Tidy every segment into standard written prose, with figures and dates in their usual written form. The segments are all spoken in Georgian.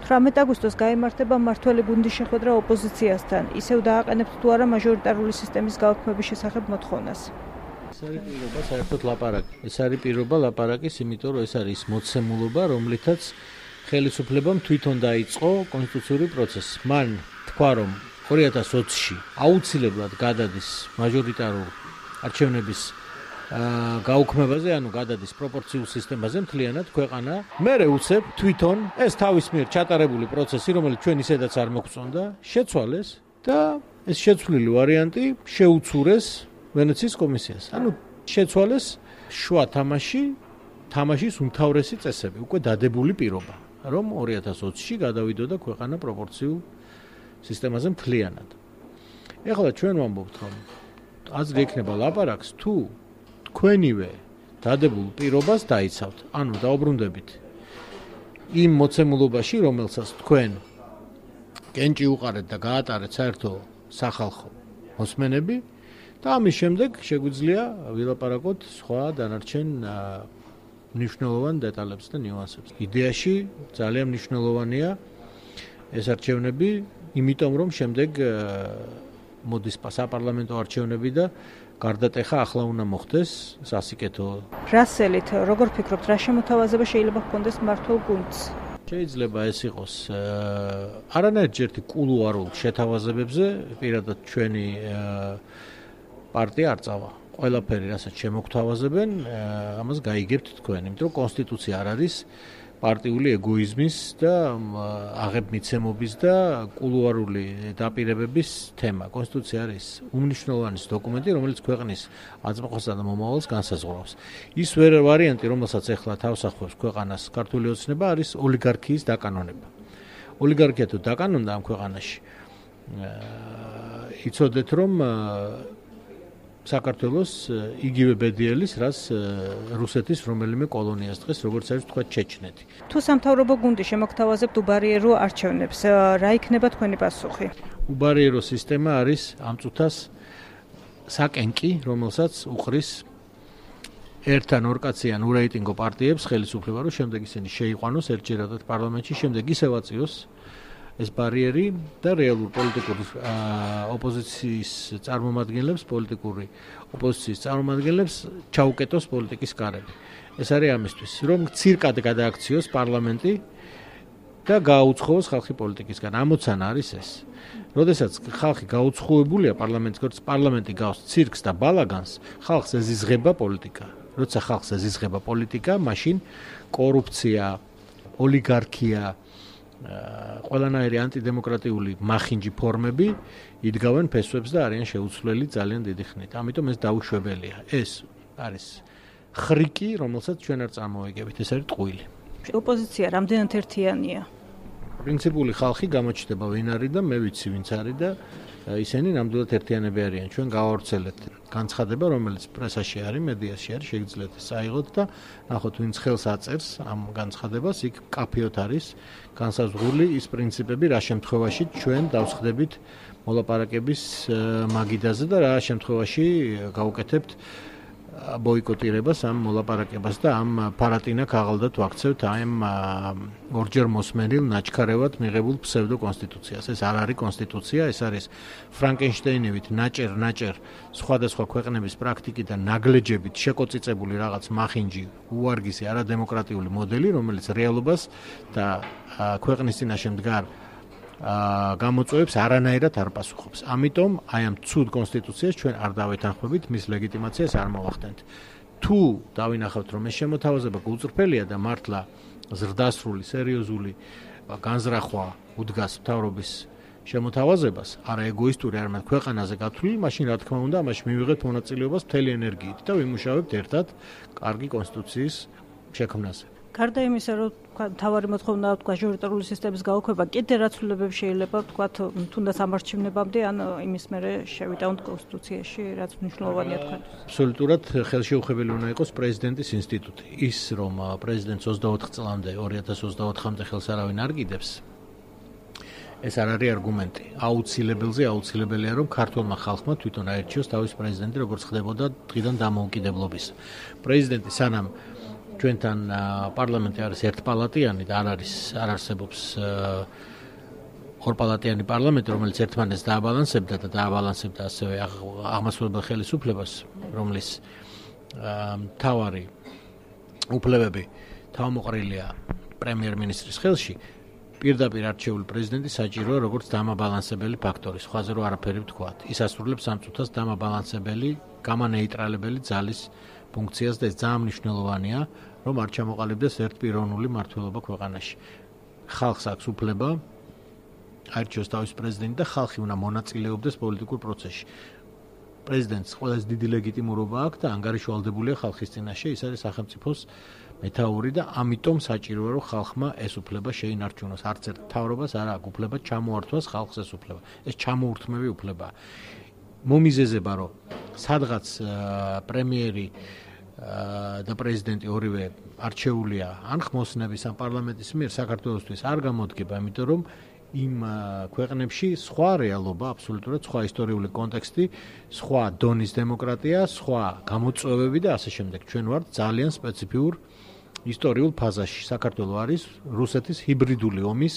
18 აგვისტოს გაიმართება მმართველი გუნდის შეხვედრა ოპოზიციასთან. ისევ დააყენებთ თუ არა მაჟორიტარული სისტემის გაუქმების შესახებ მოთხოვნას. ეს არის პირობა საერთოდ ლაპარაკი. ეს არის პირობა ლაპარაკის, იმიტომ რომ ეს არის მოცემულობა, რომლითაც ხელისუფლებამ თვითონ დაიწყო კონსტიტუციური პროცესი. მან თქვა, რომ 2020-ში აუცილებლად გადადის მაჟორიტარულ არჩევნების გაუქმებაზე, ანუ გადადის პროპორციულ სისტემაზე მთლიანად ქვეყანა. მერე უცებ თვითონ ეს თავის მიერ ჩატარებული პროცესი, რომელიც ჩვენ ისედაც არ მოგვწონდა, შეცვალეს და ეს შეცვლილი ვარიანტი შეუცურეს ვენეციის კომისიას. ანუ შეცვალეს შუა თამაშის უმთავრესი წესები, უკვე დადებული პირობა, რომ 2020-ში გადავიდოდა ქვეყანა პროპორციულ სისტემაზე მთლიანად. ეხლა ჩვენ ვამბობთ, რომ აზრი ექნება ლაპარაკს, თუ თქვენივე დადებულ პირობას დაიცავთ, ანუ დაუბრუნდებით იმ მოცემულობაში, რომელსაც თქვენ კენჭი უყარეთ და გაატარეთ საერთო სახალხო მოსმენები და ამის შემდეგ შეგვიძლია ვილაპარაკოთ სხვა დანარჩენ მნიშვნელოვან დეტალებს და ნიუანსებს. იდეაში ძალიან მნიშვნელოვანია ეს არჩევნები, იმიტომ რომ შემდეგ მოდის საპარლამენტო არჩევნები და გარდატეხა ახლა უნდა მოხდეს სასიკეთო. რასელით, როგორ ფიქრობთ, რა შემოთავაზება შეიძლება ჰქონდეს მმართველ გუნდს? შეიძლება ეს იყოს არანაირჯერტი კულუარულ შეთავაზებებზე, პირადად ჩვენი პარტია არ წავა. ყველაფერი, რასაც შემოგთავაზებენ, ამას გაიგებთ თქვენ, იმიტომ რომ კონსტიტუცია არ არის პარტიული ეგოიზმის და აღებმიცემობის და კულუარული დაპირებების თემა. კონსტიტუცია არის უმნიშვნელოვანესი დოკუმენტი, რომელიც ქვეყნის აწმყოსა და მომავალს განსაზღვრავს. ის ვარიანტი, რომელსაც ახლა თავს ახავებს ქვეყანას ქართული ოცნება, არის ოლიგარქიის დაკანონება. ოლიგარქია თუ დაკანონდა ამ ქვეყანაში, იცოდეთ, რომ საქართველოს იგივე ბედიელის, რაც რუსეთის რომელიმე კოლონიას დღეს, როგორც არის თქვა ჩეჩნეთი. თუ სამთავრობო გუნდი შემოგთავაზებთ უბარიერო არჩევნებს, რა იქნება თქვენი პასუხი? უბარიერო სისტემა არის ამ წუთას საკენკი, რომელსაც უყრის ერთ ან ორ კაციან ურეიტინგო პარტიებს ხელისუფლება, რომ შემდეგ ისინი შეიყვანოს ერთჯერადად პარლამენტში, შემდეგ ისევ აწიოს ეს ბარიერი და რეალურ პოლიტიკურ ოპოზიციის წარმომადგენლებს, პოლიტიკური ოპოზიციის წარმომადგენლებს ჩაუკეტოს პოლიტიკის კარები. ეს არის ამისთვის, რომ ცირკად გადააქციოს პარლამენტი და გააუცხოოს ხალხი პოლიტიკისგან. ამოცანა არის ეს. როდესაც ხალხი გაუცხოებულია პარლამენტი გავს ცირკს და ბალაგანს, ხალხს ეზიზღება პოლიტიკა. როცა ხალხს ეზიზღება პოლიტიკა, მაშინ კორუფცია, ოლიგარქია, ყველანაირი ანტიდემოკრატიული მახინჯი ფორმები იდგავენ ფესვებს და არიან შეუცვლელი ძალიან დიდი ხნით. ამიტომ ეს დაუშვებელია. ეს არის ხრიკი, რომელსაც ჩვენ არ წარმოვიგებით, ეს არის ტყუილი. ოპოზიცია რამდენად ერთიანია? პრინციპული ხალხი გამოჩნდება ვინ არის და მე ვიცი ვინც არის და ისინი ნამდვილად ერთიანები არიან. ჩვენ გავავრცელეთ განცხადება, რომელიც პრესაში არის, მედიაში არის, შეგიძლიათ ეს აიღოთ და ნახოთ ვინც ხელს აწერს ამ განცხადებას, იქ კაფეოთ არის განსაზღვრული ის პრინციპები, რა შემთხვევაში ჩვენ დავსხდებით მოლაპარაკების მაგიდაზე და რა შემთხვევაში გავუკეთებთ ბოიკოტირებას ამ მოლაპარაკებას და ამ ფარატინა ქაღალდად ვაქცევთ ამ ორჯერ მოსმენილ ნაჩქარევად მიღებულ ფსევდო კონსტიტუციას. ეს არ არის კონსტიტუცია, ეს არის ფრანკენშტეინივით ნაჭერ სხვადასხვა ქვეყნების პრაქტიკიდან ნაგლეჯებით შეკოწიწებული რაღაც მახინჯი, უვარგისი არადემოკრატიული მოდელი, რომელიც რეალობას და ქვეყნის წინაშე მდგარ გამოწვევებს არანაირად არ პასუხობს. ამიტომ აი ამ ცუდ კონსტიტუციას ჩვენ არ დავეთანხმებით, მის ლეგიტიმაციას არ მოვახდენთ. თუ დავინახავთ, რომ ეს შემოთავაზება გულწრფელია და მართლა ზრდასრული, სერიოზული განზრახვა უდგას მთავრობის შემოთავაზებას, არა ეგოისტური, არამედ ქვეყანაზე გათვლილი, მაშინ რა თქმა უნდა, ამაში მივიღეთ მონაწილეობას მთელი ენერგიით და ვიმუშავებთ ერთად კარგი კონსტიტუციის შექმნაზე. გარდა იმისა, რომ თავარი მოთხოვნა მაჟორიტარული სისტემის გაუქმება, კიდე რა ცვლილებები შეიძლება ვთქვათ, თუნდაც ამ არჩევნებამდე, ან იმის მერე შევიტანოთ კონსტიტუციაში, რაც მნიშვნელოვანია თქვენთვის? აბსოლუტურად ხელშეუხებელი უნდა იყოს პრეზიდენტის ინსტიტუტი. ის, რომ პრეზიდენტს 24 წლამდე, 2024-მდე ხელს არავინ არ კიდებს, ეს არ არის არგუმენტი. აუცილებელია, რომ ქართულმა ხალხმა თვითონ აერჩიოს თავის პრეზიდენტი, როგორც ხდებოდა დღიდან დამოუკიდებლობის. პრეზიდენტი სანამ ჩვენთან პარლამენტი არის ერთპალატიანი და არ არსებობს ორპალატიანი პარლამენტი, რომელიც ერთმანეთს დააბალანსებდა და დააბალანსებდა ასევე აღმასრულებელ ხელისუფლებას, რომლის მთავარი უფლებები თავმოყრილია პრემიერ-მინისტრის ხელში. პირდაპირ არჩეული პრეზიდენტი საჭიროა როგორც დამაბალანსებელი ფაქტორი, სხვაზე რო არაფერი ვთქვათ. ის ასრულებს ამ წუთას დამაბალანსებელი, გამანეიტრალებელი ძალის ფუნქციას და ეს ძალიან მნიშვნელოვანია, რომ არ ჩამოყალიბდეს ერთპიროვნული მმართველობა ქვეყანაში. ხალხს აქვს უფლება არჩევს თავის პრეზიდენტი და ხალხი უნდა მონაწილეობდეს პოლიტიკურ პროცესში. პრეზიდენტს ყველაზე დიდი ლეგიტიმურობა აქვს და ანგარიშვალდებულია ხალხის წინაშე, ის არის სახელმწიფოს მეთაური და ამიტომ საჭიროა რომ ხალხმა ეს უფლება შეინარჩუნოს. არც ერთ მთავრობას არ აქვს უფლება ჩამოართვას ხალხს ეს უფლება. ეს ჩამოურთმევი უფლებაა. მომიზეზება რომ სადღაც პრემიერი და პრეზიდენტი ორივე არჩეულია ან ხმოსნების ან პარლამენტის მიერ საქართველოსთვის არ გამოდგება, იმიტომ რომ იმ ქვეყნებში სხვა რეალობა, აბსოლუტურად სხვა ისტორიული კონტექსტი, სხვა დონის დემოკრატია, სხვა გამოწვევები და ასე შემდეგ. ჩვენ ვართ ძალიან სპეციფიურ ისტორიულ ფაზაში. საქართველო არის რუსეთის ჰიბრიდული ომის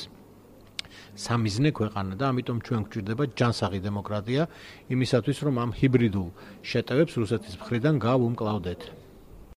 სამიზნე ქვეყანა და ამიტომ ჩვენ გვჭირდება ჯანსაღი დემოკრატია იმისათვის, რომ ამ ჰიბრიდულ შეტევებს რუსეთის მხრიდან გავუმკლავდეთ.